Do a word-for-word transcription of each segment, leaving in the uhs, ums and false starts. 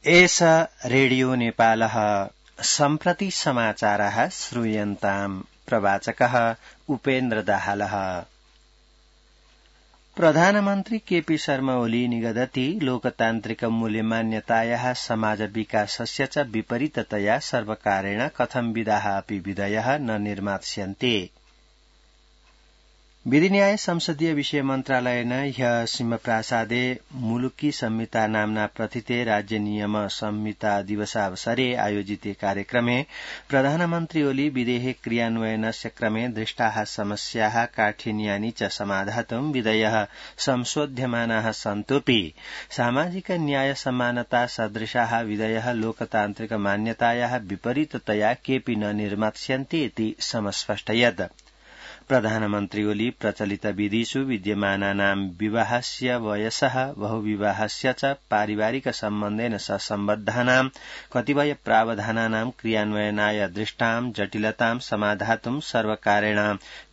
एष रेडियो नेपालः सम्प्रति समाचारः श्रूयन्ताम् प्रवाचकः उपेन्द्र दाहालः। प्रधानमन्त्री केपी शर्मा ओली निगदति लोकतान्त्रिक मूल्यमान्यतायाः समाज विकासस्य च विपरीततया सर्वकारेण कथं विधाः अपि विधयः न निर्मास्यन्ते। विधिन्याय संसदीय विषय मन्त्रालयेन ह्य सिंहप्रासादे मुलुकी संहिता नाम्ना प्रथिते राज्य नियम संहिता दिवसावसरे आयोजिते कार्यक्रमे प्रधानमन्त्री ओली विधेः क्रियान्वयनस्य क्रमे दृष्टाः समस्याः काठिन्यानि च समाधातुं विधयः संशोध्यमानाः सन्तोऽपि सामाजिक न्याय समानता सदृशाः विधयः लोकतान्त्रिक मान्यतायाः विपरीततया केऽपि न निर्मास्यन्ते इति समस्पष्टयत्। प्रधानमन्त्री ओली प्रचलित विधिषु विद्यमानानां विवाहस्य वयसः बहुविवाहस्य च पारिवारिक सम्बन्धेन सम्बद्धानां कतिपय प्रावधानानां क्रियान्वयनाय दृष्टां जटिलतां समाधातुं सर्वकारेण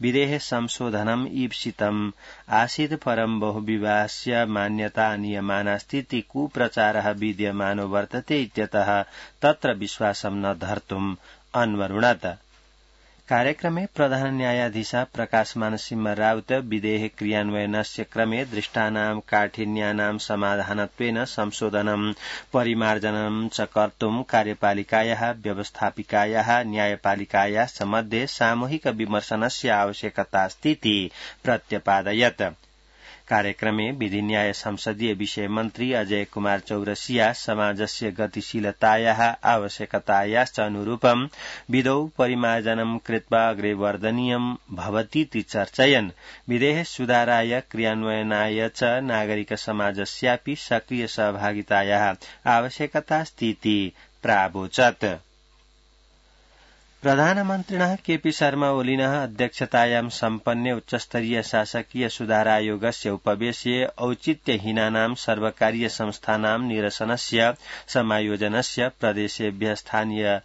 विधेः संशोधनम् ईप्सितम् आसीत्, परं बहुविवाहस्य मान्यता नियमानास्ति इति कुप्रचारः विद्यमानो वर्तते इत्यतः तत्र विश्वासं न धर्तुम् अन्वरुणत। कार्यक्रमे प्रधान न्यायाधीश प्रकाशमान सिंह राउत विधेः क्रियान्वयनस्य क्रमे दृष्टानां काठिन्यानां समाधानत्वेन संशोधनं परिमार्जनं च कर्तुं कार्यपालिकायाः व्यवस्थापिकायाः न्यायपालिकायाश्च मध्ये सामूहिक विमर्शनस्य आवश्यकतास्ति इति प्रत्यपादयत्। कार्यक्रमे विधिन्याय संसदीय विषय मन्त्री अजय कुमार चौरसिया समाजस्य गतिशीलतायाः आवश्यकतायाश्च अनुरूपं विधौ परिमार्जनं कृत्वा अग्रे वर्धनीयं भवतीति चर्चयन् विधेः सुधाराय क्रियान्वयनाय च नागरिक समाजस्यापि सक्रिय सहभागितायाः आवश्यकतास्ति इति प्रावोचत्। प्रधानमन्त्रिणः केपी शर्मा ओलिनः अध्यक्षतायां सम्पन्ने उच्चस्तरीय शासकीय सुधारायोगस्य उपवेशे औचित्यहीनानां सर्वकारीय संस्थानां निरसनस्य समायोजनस्य प्रदेशेभ्यः स्थानीय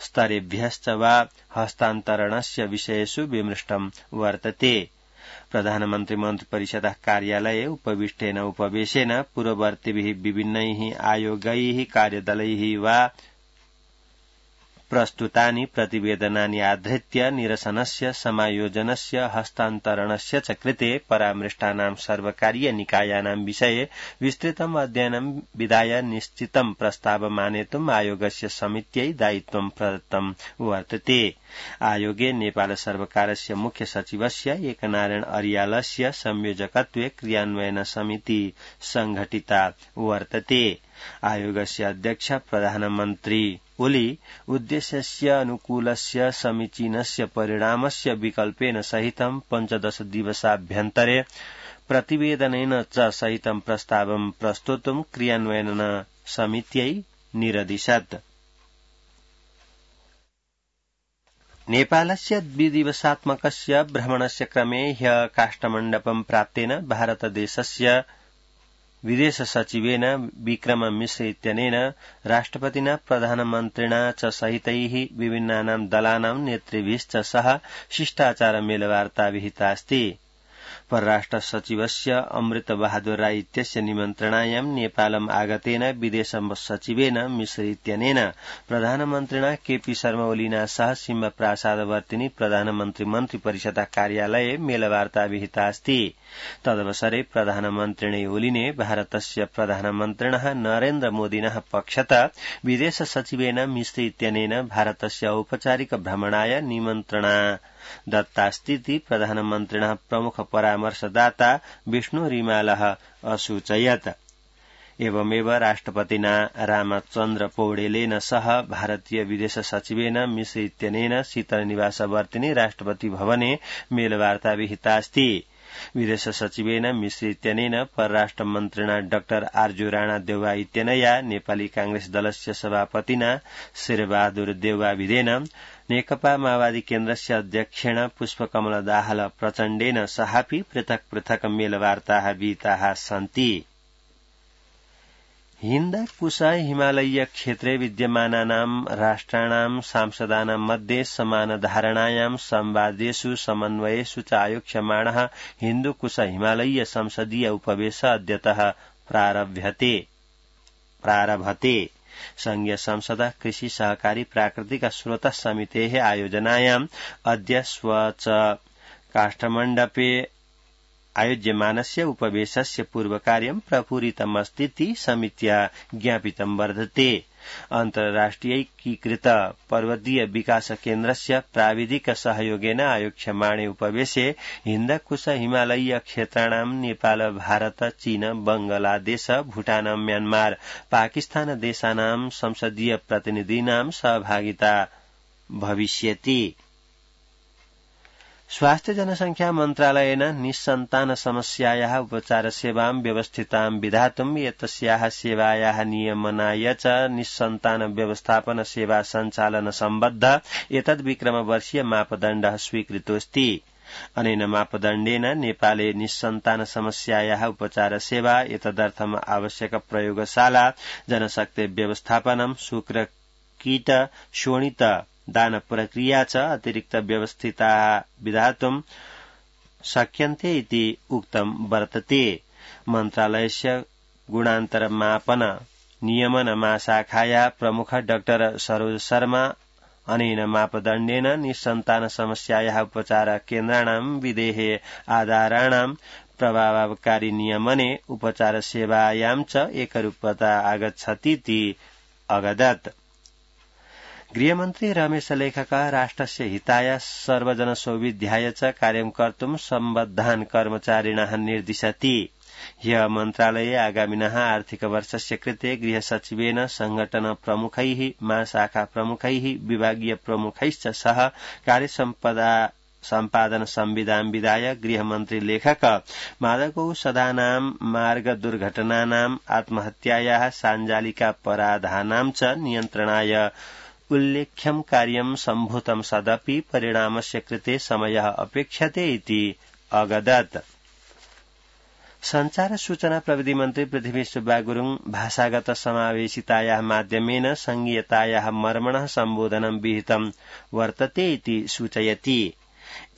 स्तरेभ्यश्च वा हस्तान्तरणस्य विषयेषु विमृष्टं वर्तते। प्रधानमन्त्री मन्त्रिपरिषदः कार्यालये उपविष्टेन उपवेशेन पूर्ववर्तिभिः विभिन्नैः आयोगैः कार्यदलैः वा प्रस्तुतानि प्रतिवेदनानि आधृत्य निरसनस्य समायोजनस्य हस्तान्तरणस्य च कृते परामृष्टानां सर्वकारीय निकायानां विषये विस्तृतम् अध्ययनं विधाय निश्चितं प्रस्तावम् आनेतुम् आयोगस्य समित्यै दायित्वं प्रदत्तं वर्तते। आयोगे नेपाल सर्वकारस्य मुख्य सचिवस्य एकनारायण अर्यालस्य संयोजकत्वे क्रियान्वयन समिति संघटिता वर्तते। आयोगस्य अध्यक्ष प्रधानमन्त्री ओली उद्देश्यस्य अनुकूलस्य समीचीनस्य परिणामस्य विकल्पेन सहितं पञ्चदश दिवसाभ्यन्तरे प्रतिवेदनेन च सहितं प्रस्तावं प्रस्तोतुं क्रियान्वयन समित्यै निरदिशत्। नेपालस्य द्विदिवसात्मकस्य भ्रमणस्य क्रमे ह्यः काष्ठमण्डपं प्राप्तेन भारतदेशस्य विदेश सचिवेन विक्रम मिश्र इत्यनेन राष्ट्रपतिना प्रधानमन्त्रिणा च सहितैः विभिन्नानां दलानां नेतृभिश्च सह शिष्टाचार मेलवार्ता विहितास्ति। परराष्ट्र सचिवस्य अमृत बहादुर राय इत्यस्य निमन्त्रणायां नेपालम् आगतेन विदेश सचिवेन मिश्र इत्यनेन प्रधानमन्त्रिणा केपी शर्मा ओलिना सह सिंहप्रासादवर्तिनि प्रधानमन्त्री मन्त्रिपरिषदः कार्यालये मेलवार्ता विहितास्ति। तदवसरे प्रधानमन्त्रिणे ओलिने भारतस्य प्रधानमन्त्रिणः नरेन्द्र मोदिनः पक्षतः विदेश सचिवेन मिश्र इत्यनेन भारतस्य औपचारिक भ्रमणाय निमन्त्रणा दत्तास्तीति प्रधानमन्त्रिणः प्रमुख परामर्शदाता विष्णु रिमालः असूचयत्। एवमेव राष्ट्रपतिना रामचन्द्र पौडेलेन सह भारतीय विदेश सचिवेन मिश्र इत्यनेन शीतल निवासवर्तिनि राष्ट्रपति भवने मेलवार्ता विहितास्ति। विदेश सचिवेन मिश्र इत्यनेन परराष्ट्र मन्त्रिणा डाक्टर आर्जु राणा देउवा इत्यनया नेपाली कांग्रेस दलस्य सभापतिना शेरबहादुर देउवाविदेन नेकपा माओवादी केन्द्रस्य अध्यक्षेण पुष्पकमल दाहाल प्रचण्डेन सहापि पृथक् पृथक् मेलवार्ताः विहिताः सन्ति। हिन्द कुश हिमालयीय क्षेत्रे विद्यमानानां राष्ट्राणां सांसदानां मध्ये समानधारणायां संवादेषु समन्वयेषु च आयोक्ष्यमाणः हिन्दुकुश हिमालयीय संसदीय उपवेश अद्यतः प्रारभ्यते प्रारभते संघीय संसद कृषि सहकारी प्राकृतिक स्रोत समितेः आयोजनायाम् अद्य स्वच काष्ठमण्डपे आयोज्यमानस्य उपवेशस्य पूर्वकार्यं प्रपूरितमस्तीति समित्या ज्ञापितं वर्तते। अन्तर्राष्ट्रियैकीकृत पर्वतीय विकास केन्द्रस्य प्राविधिक सहयोगेन आयोक्ष्यमाणे उपवेशे हिन्दकुश हिमालयीय क्षेत्राणां नेपाल भारत चीन बंगलादेश भूटान म्यानमार पाकिस्तान देशानां संसदीय प्रतिनिधीनां सहभागिता भविष्यति। स्वास्थ्य जनसंख्या मन्त्रालयेन निस्सन्तान समस्यायाः उपचार सेवां व्यवस्थितां विधातुम् एतस्याः सेवायाः नियमनाय च निस्सन्तान व्यवस्थापन सेवा सञ्चालन सम्बद्ध एतद्विक्रमवर्षीय मापदण्डः स्वीकृतोऽस्ति। अनेन मापदण्डेन नेपाले निस्सन्तान समस्यायाः उपचार सेवा एतदर्थम् आवश्यक प्रयोगशाला जनशक्ति व्यवस्थापनं शुक्र कीट शोणित दान प्रक्रिया च अतिरिक्त व्यवस्थिता विधातुं शक्यन्ते इति उक्तं वर्तते। मन्त्रालयस्य गुणान्तरमापन नियमन महाशाखाया प्रमुख डाक्टर सरोज शर्मा अनेन मापदण्डेन निस्सन्तान समस्यायाः उपचार केन्द्राणां विधेः आधाराणां प्रभावकारी नियमने उपचार सेवायां च एकरूपता आगच्छतीति अगदत्। गृहमन्त्री रमेश लेखक राष्ट्रस्य हिताय सर्वजनसौविध्याय च कार्यं कर्तुं सम्बद्धान् कर्मचारिणः निर्दिशति। ह्यः मन्त्रालये आगामिनः आर्थिक वर्षस्य कृते गृहसचिवेन संघटन प्रमुखैः महाशाखा प्रमुखैः विभागीय प्रमुखैश्च सह कार्यसम्पदा सम्पादन संविधान विधाय गृहमन्त्री लेखक मादकौषधानां मार्ग दुर्घटनानां आत्महत्यायाः साञ्जालिकापराधानां च नियन्त्रणाय उल्लेख्यं कार्यं सम्भूतं सदपि परिणामस्य कृते समयः अपेक्ष्यते इति अगदत्। संचार सूचना प्रविधि मन्त्री पृथ्वी सुब्बा गुरुङ भाषागत समावेशितायाः माध्यमेन संघीयतायाः मर्मणः सम्बोधनं विहितं वर्तते इति सूचयति।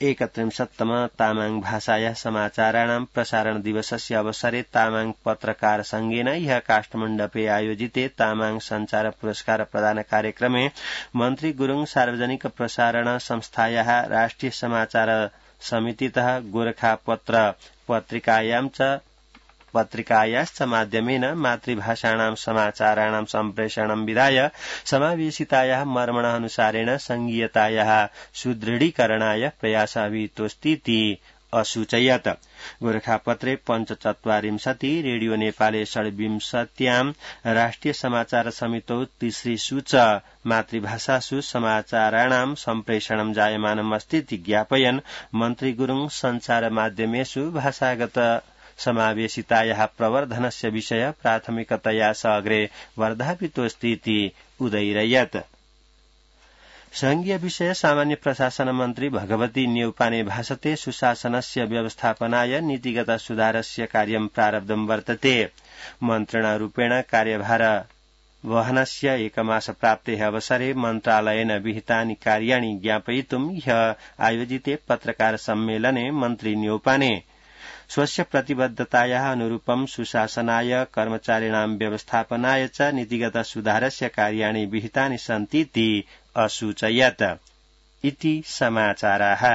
एकत्रिंशत्तम तामाङ भाषायाः समाचाराणां प्रसारण दिवसस्य अवसरे तामाङ पत्रकार संघेन ह्यः काष्ठमण्डपे आयोजिते तामाङ संचार पुरस्कार प्रदान कार्यक्रमे मन्त्री गुरुङ सार्वजनिक प्रसारण संस्थायाः राष्ट्रिय समाचार समितितः गोरखापत्र पत्रिकायां च पत्रिकायाश्च माध्यमेन मातृभाषाणां समाचाराणां सम्प्रेषणं विधाय समावेशितायाः मर्मणः अनुसारेण संघीयतायाः सुदृढीकरणाय प्रयासः विहितोऽस्तीति असूचयत्। गोरखापत्रे पञ्चचत्वारिंशति रेडियो नेपाले षड्विंशत्यां राष्ट्रिय समाचार समितौ तिसृषु च मातृभाषासु समाचाराणां सम्प्रेषणं जायमानमस्तीति ज्ञापयन् मन्त्री गुरुङ संचार माध्यमेषु भाषागत समावेशितायाः प्रवर्धनस्य विषय प्राथमिकतया स अग्रे वर्धापितोऽस्तीति उदैरयत्। संघीय विषय सामान्य प्रशासन मन्त्री भगवती न्यौपाने भाषते सुशासनस्य व्यवस्थापनाय नीतिगत सुधारस्य कार्यं प्रारब्धं वर्तते। मन्त्रिणारूपेण कार्यभार वहनस्य एकमास प्राप्तेः अवसरे मन्त्रालयेन विहितानि कार्याणि ज्ञापयितुं ह्यः आयोजिते पत्रकार सम्मेलने मन्त्री न्यौपाने स्वस्य प्रतिबद्धतायाः अनुरूपं सुशासनाय कर्मचारिणां व्यवस्थापनाय च नीतिगत सुधारस्य कार्याणि विहितानि सन्तीति असूचयत् इति समाचाराः।